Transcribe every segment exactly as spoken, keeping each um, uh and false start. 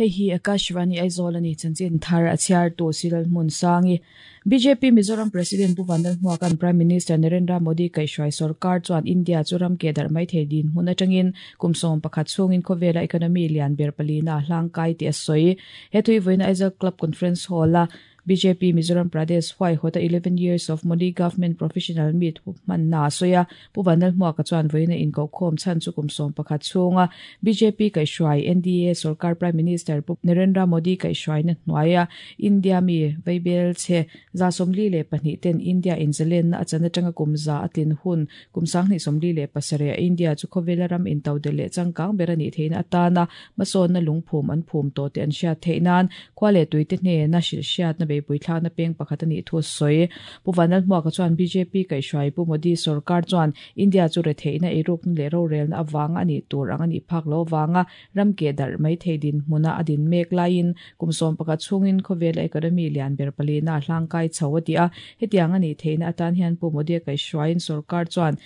Hei hi Akashvani Aizawl ani chanchin thar a chhiar tu Silal Hmun Sangi B J P Mizoram President Pu Vanlal Hmuakan Prime Minister Narendra Modi kaihhruai sarkar chuan India chu ram ke dar mai thei din hmun atangin kumsawm pakhat chungin khawvela economy lian ber palina hlangkai ti a sawi hetui voina Aizawl Club Conference Hall a B J P Mizoram Pradesh huai hota eleven years of Modi Government Professional Meet man na soya Pu Vanlal Hmuaka chuan voina in ko khom chan chu kumsawm pakhat chunga B J P kaihhruai N D A sarkar Prime Minister Pu Narendra Modi kaihhruai na hnuaia India mi veibel che za somli le pahnih ten India in zalen na achana tanga kumza atlin hun kumsang ni somli le pasare India chu khawvela ram in tau de le changkang berani theina atana mason na lungphum an phum to te an hriat theinan khwale tuite hne na shil hriat na be puithla na peng pakhat ani thu soi Pu Vanlal Hmuaka chuan B J P kaihhruai Pu Modi sarkar chuan India chu re theina eruk le ro rel na awang ani tur ang ani phak lo wanga ram ke dar mai theidin hmuna adin mek lain kumsawm pakhat chungin khawvela economy lian ber palina hlangkai chawatia hetiang ani theina atan hian Pu Modi kaihhruaiin sarkar chuan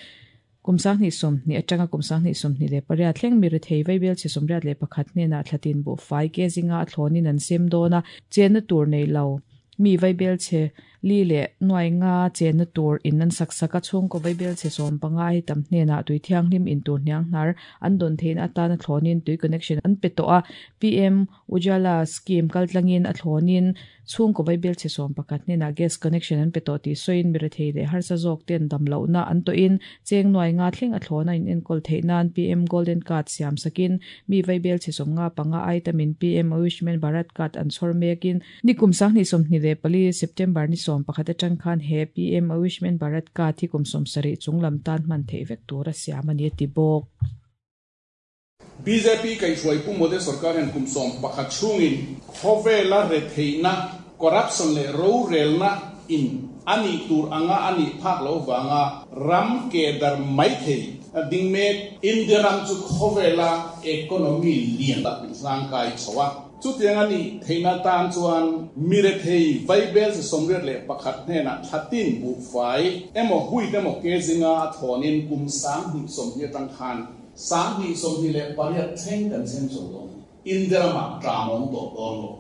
kumsang ni som ni atanga kumsang ni som ni le paria thleng mi thei veibel chi somriat le pakhat ne na thlatin bo fai ke zinga thlonin an sem dona chen tur nei lo mi veibel che li le nuai nga chen na tur in an sak saka chung ko veibel che som pangai tam hne na tui thiang hlim in tur hniang hnar an don thein atana thlonin tui connection an pe to a P M Ujala scheme kaltlangin a thlonin chung ko veibel che som pakhat hne na gas connection an pe to ti soin mi thei le har sa jok ten dam lo na an to in cheng nuai nga thleng a thlona in enkol theinan P M Golden Card siam sakin mi veibel che som nga panga itemin P M Ayushman Bharat Card an chhor mekin nikum sang ni som ni le pali September ni som pakhat atang khan he P M Ayushman Bharat Card hi kumsawm sarih chunglam tan man thei vek tur a siam ani ti bawk. B J P kaihhruai Pu Modi sarkar hian kumsawm pakhat chungin khawvela re theina corruption le ro relna in ani tur anga ani phak lo wanga ram ke dar mai thei ding mek India ram chu khawvela economy lian ta hlangkai chawa chu tiang ani theina tan chuan mire thei veibel se somriat le pakhat hne na thatin bu fai emo hui te mo ke zinga a thonin kum sang hi som hi tang khan sang hi som hi le pariat thleng kan sem so lo India ma tramong to don lo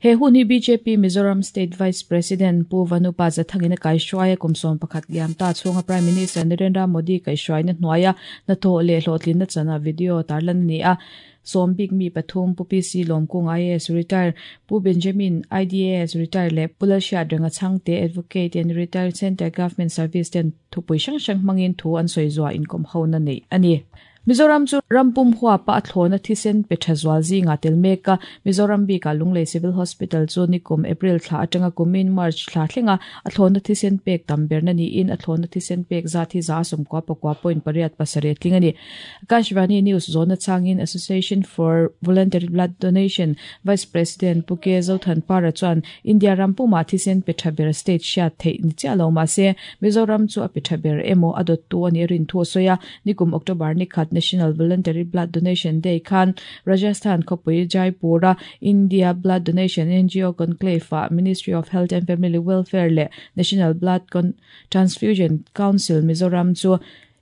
He hun hi B J P Mizoram State Vice President Pu Vanupa Zathangina kaihhruai kumsawm pakhat liam ta chunga Prime Minister Narendra Modi kaihhruai na hnuaia na thaw le hlawhtlin na chana video tarlan ani a Sombik mi pathum Pu P C Lomkung I A S retire Pu Benjamin I D A S retire le Pulal Hriat Renga Chhangte Advocate and Retired Center Government Service ten thupui hrang hrang hmangin thu an sawi zuwa inkom ho na nei ani. Mizoram chu rampum hua pa thlona thisen pe thazwal zinga telmeka Mizoram bi ka Lunglei Civil Hospital chu nikum April thla atanga kumin March thla thlenga a thlona thisen pek tamber na ni in a thlona thisen pek za thi za som kwa pakwa point pariat pasare tlingani Akashvani News zona changin Association for Voluntary Blood Donation Vice President Puke Zothan Para chuan India rampuma thisen pe thaber state sha thei ni chalo ma se Mizoram chu a pe thaber emo adot tu ani rin thu soya nikum October ni khat National Voluntary Blood Donation Day khan Rajasthan khawpui Jaipura India Blood Donation N G O Conclave a Ministry of Health and Family Welfare le National Blood Con- Transfusion Council Mizoram chu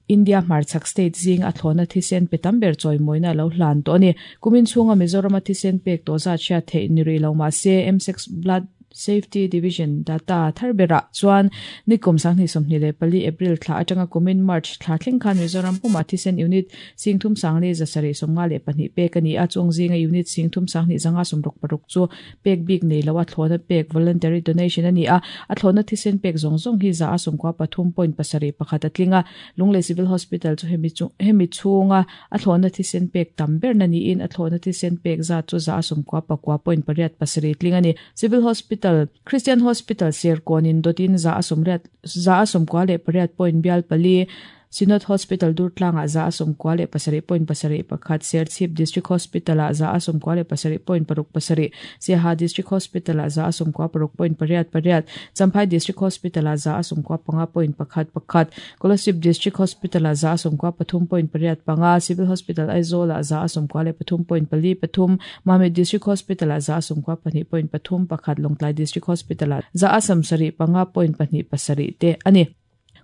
India hmarchhak state zing a thlona thisen pe tamber choi moina lo hlan to ani kumin chunga Mizoram a thisen pek to za chhia thei ni ri lo ma se M six Blood Safety Division data tharbera chuan nikum sangni somni le pali April thla atanga kumin March thla thleng khan Mizoram puma thisen unit singthum sangli zasari somnga le pahnih pek ani a chung zinga unit singthum sangni zanga somruk paruk chu pek bik nei lawa thlona pek voluntary donation ani a a thlona thisen pek zong zong hi za asum kwa pathum point pasari pakhat atlinga Lunglei Civil Hospital chu hemi chu hemi chunga a thlona thisen pek tamber na ni in a thlona thisen pek za chu za asum kwa pakwa point pariat pasari tlinga ni Civil Hospital Christian Hospital Serkonin dotin za asumriat za asum kwale pariat point bial pali Synod Hospital Durtlanga za asum kwale pasari point pasari pakhat Serchhip District Hospital za asum kwale pasari point paruk pasari Siaha District Hospital za asum kwa paruk point pariat pariat Champhai District Hospital za asum kwa panga point pakhat pakhat Kolasib District Hospital za asum kwa pathum point pariat panga Civil Hospital Aizawl za asum kwale pathum point pali pathum Mamit District Hospital za asum kwa pahnih point pathum pakhat Lawngtlai District Hospital za asam sari panga point pahnih pasari te ani.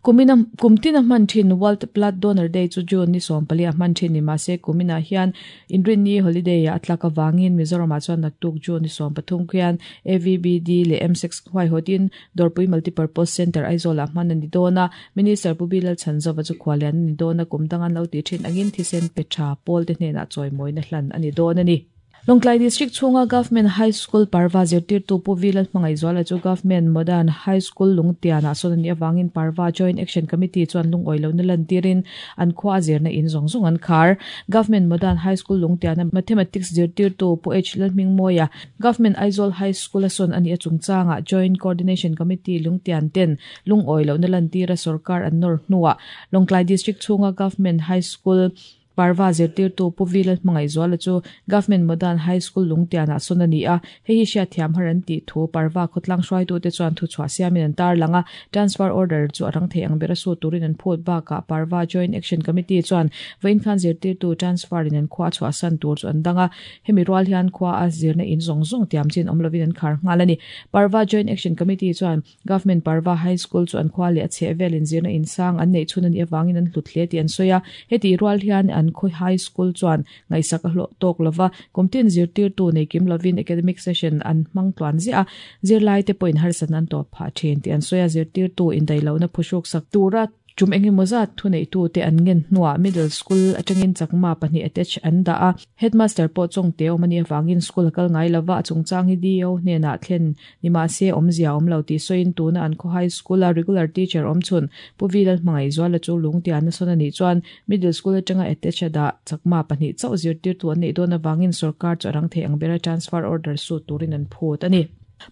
Kumina kumtina man thin World Blood Donor Day chu June ni som pali a man thin ni ma se kumina hian inrin ni holiday a atlaka wangin Mizoram a chuan naktuk June ni som pathum khian A V B D le M six hwai hotin Dorpui Multipurpose Center Aizawl a hman ani dona Minister Pubilal Chanzova chu khwalian ni dona kumdangan lo ti thin angin thisen pecha pol te hnena choi na hlan ani don ani Longtlai District chunga Government High School Parva zirtir tu pu Vilal Hmangai Zuala chu Government Modern High School Lungtiana sonani awangin Parva Joint Action Committee chuan lung oilo na lantirin an khwa zirna in zong zong an khar Government Modern High School Lungtiana Mathematics zirtir tu pu H Lalhming Moya Government Aizawl High School ason ani achungchanga Joint Coordination Committee Lungtian ten lung oilo na lantira sarkar an nor hnuwa Longtlai District chunga Government High School Parva zirtir tu pu Vilal Hmangai Zuala chu Government Modern High School Lungtiana sonani a hei hi hria thiam haran ti thu Parva khotlang hruai tu te chuan thu chhuah siamin an tar langa transfer order chu arang thei ang bera su turin an phut baka Parva Joint Action Committee chuan vein khan zirtir tu transfer in an khwa chhuah san tur chu an danga hemi rual hian khwa a zirna in zong zong tiam chin omlovin an khar ngalani Parva Joint Action Committee chuan Government Parva High School chu an khwa le a che velin zirna in sang an nei chun ani awangin an hluthle ti an soya heti rual hian an khoi high school chuan ngaisak a hlo tok lova kumtin zirtir tu nei kim lovin academic session an mang tluan zia zirlai te point harsan an to pha then ti an soya zirtir tu in dailo na phusuk sak tura chum engi moza thu nei tu te an ngen hnuwa middle school atangin chakma pahnih attach an da a headmaster po chong te omani awangin school kal ngai lova chungchang hi dio hnena thlen nima se omzia omlo ti soin tu na an kho high school a regular teacher omchun pu Vilal Hmangai Zuala chu lungtian na sonani chuan middle school atanga attach da chakma pahnih chau zirtir tu an nei don awangin sarkar charang the angbera transfer order su turin an phut ani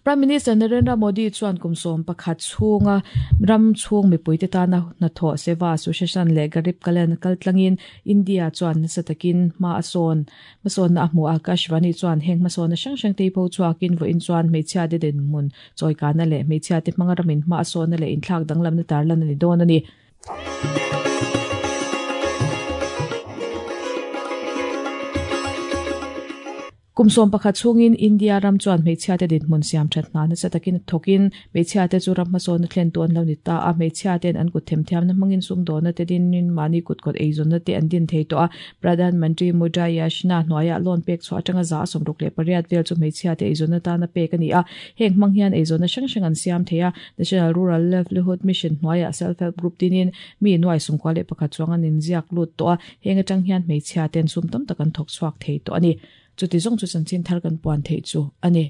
Prime Minister Narendra Modi chuan kumsom pakhat chunga ram chung mipui te tana na tho seva association le garib kalyan kaltlangin India chuan satakin ma ason mason na hmu Akashvani chuan heng mason na sang sang te pho chuakin vo in chuan meichia de den mun choikana le meichia te mangaramin ma ason na le in thlak danglam na tarlan ani don ani Kumsom pakhat chungin India ram chuan hmeichhia te dinhmun siam that hna nasa takin thokin hmeichhia te chu ram hmasawn na thlen tuan lo ni ta a hmeichhia ten an kut themthiam na hmangin sum dawna te dinin mani kut kawt eizawn na te an din thei tawh a Pradhan Mantri Mudra Yojana hnuaiah loan pek chhuah atanga za sawmruk leh pariat vel chu hmeichhia te eizawn na tana pek ani a heng hmang hian eizawn na hrang hrang an siam thei a National Rural Livelihood Mission hnuaiah self help group tinin mi nuai sumkua leh pakhat chuang an inziak lut tawh a heng atang hian hmeichhia ten sum tam tak an thawk chhuak thei tawh ani chuti zong chu chanchin thar kan puan thei chu ani.